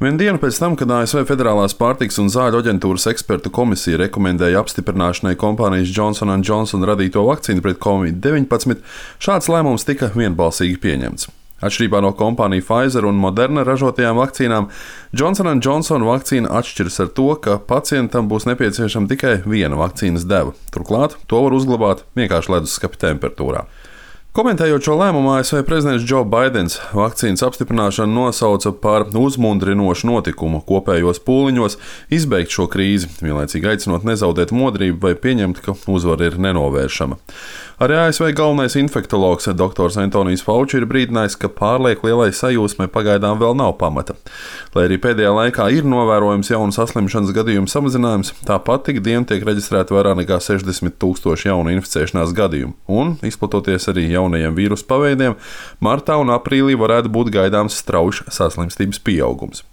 Vienu dienu pēc tam, kad ASV Federālās pārtikas un zāļu aģentūras ekspertu komisija rekomendēja apstiprināšanai kompānijas Johnson & Johnson radīto vakcīnu pret Covid-19, šāds lēmums tika vienbalsīgi pieņemts. Atšķirībā no kompāniju Pfizer un Moderna ražotajām vakcīnām, Johnson & Johnson vakcīna atšķiras ar to, ka pacientam būs nepieciešama tikai viena vakcīnas deva. Turklāt to var uzglabāt vienkārši leduskapa temperatūrā. Komentējot šo lēmumu, ASV prezidents Joe Baidens vakcīnas apstiprināšanu nosauca par uzmundrinošu notikumu kopējos pūliņos izbeigt šo krīzi, vienlaicīgi aicinot nezaudēt modrību vai pieņemt, ka uzvara ir nenovēršama. Arī ASV galvenais infektologs dr. Antonijs Fauci ir brīdinājis, ka pārlieku lielai sajūsmai pagaidām vēl nav pamata. Lai arī pēdējā laikā ir novērojams jaunu saslimšanas gadījumu samazinājums, tāpat tik dienu tiek reģistrēti vairāk nekā 60,000 jaunu inficēšanās gadījumu, un, izplatoties arī jaunajiem vīrusu paveidiem, martā un aprīlī varētu būt gaidāms strauji saslimstības pieaugums.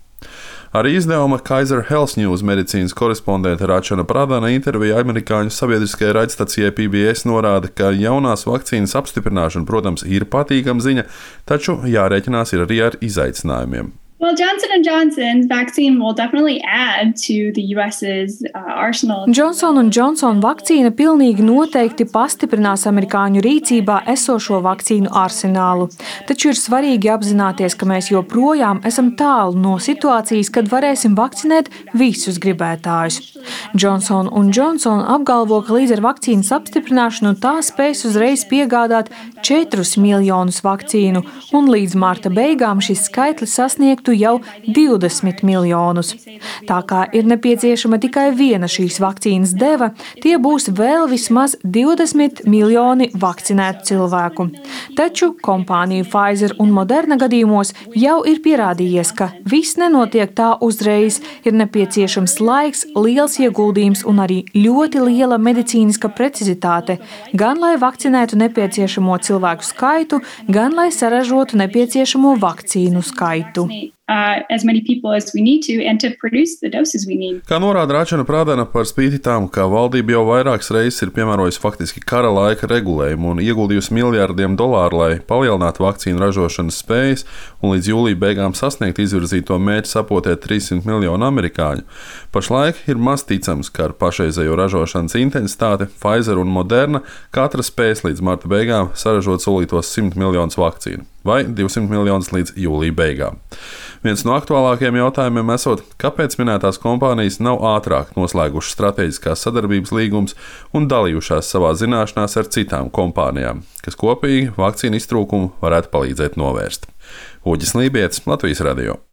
Arī izdevuma Kaiser Health News medicīnas korespondente Rachana Pradana intervijā amerikāņu sabiedriskajai raidstacijai PBS norāda, ka jaunās vakcīnas apstiprināšana, protams, ir patīkama ziņa, taču jārēķinās ir arī ar izaicinājumiem. Well, Johnson & Johnson's vaccine will definitely add to the US's arsenal. Johnson & Johnson vakcīna pilnīgi noteikti pastiprinās amerikāņu rīcībā esošo vakcīnu arsenālu. Taču ir svarīgi apzināties, ka mēs joprojām esam tālu no situācijas, kad varēsim vakcinēt visus gribētājus. Johnson & Johnson apgalvo, ka līdz ar vakcīnas apstiprināšanu tā spēs uzreiz piegādāt 4 miljonus vakcīnu, un līdz marta beigām šis skaitlis sasniegtu jau 20 miljonus. Tā kā ir nepieciešama tikai viena šīs vakcīnas deva, tie būs vēl vismaz 20 miljoni vakcinētu cilvēku. Taču kompāniju Pfizer un Moderna gadījumos jau ir pierādījies, ka viss nenotiek tā uzreiz, ir nepieciešams laiks, liels ieguldījums un arī ļoti liela medicīniska precizitāte, gan lai vakcinētu nepieciešamo cilvēku skaitu, gan lai saražotu nepieciešamo vakcīnu skaitu. As many people as we need to and to produce the doses we need. Kā norāda Rachana Pradana, par spīti tam, ka valdība jau vairākas reizes ir piemērojusi faktiski kara laika regulējumu un ieguldījusi miljardiem dolāru, lai palielinātu vakcīnu ražošanas spējas un līdz jūlija beigām sasniegt izvirzīto mērķi sapotēt 300 miljonu amerikāņu. Pašlaik ir maz ticams, ka ar pašreizējo ražošanas intensitāti Pfizer un Moderna katra spēs līdz marta beigām saražot solītos 100 miljonus vakcīnu vai 200 miljonus līdz jūlija beigām. Viens no aktuālākajiem jautājumiem esot, kāpēc minētās kompānijas nav ātrāk noslēgušas strateģiskās sadarbības līgumus un dalījušās savā zināšanās ar citām kompānijām, kas kopīgi vakcīnu iztrūkumu varētu palīdzēt novērst. Uģis Lībietis, Latvijas radio.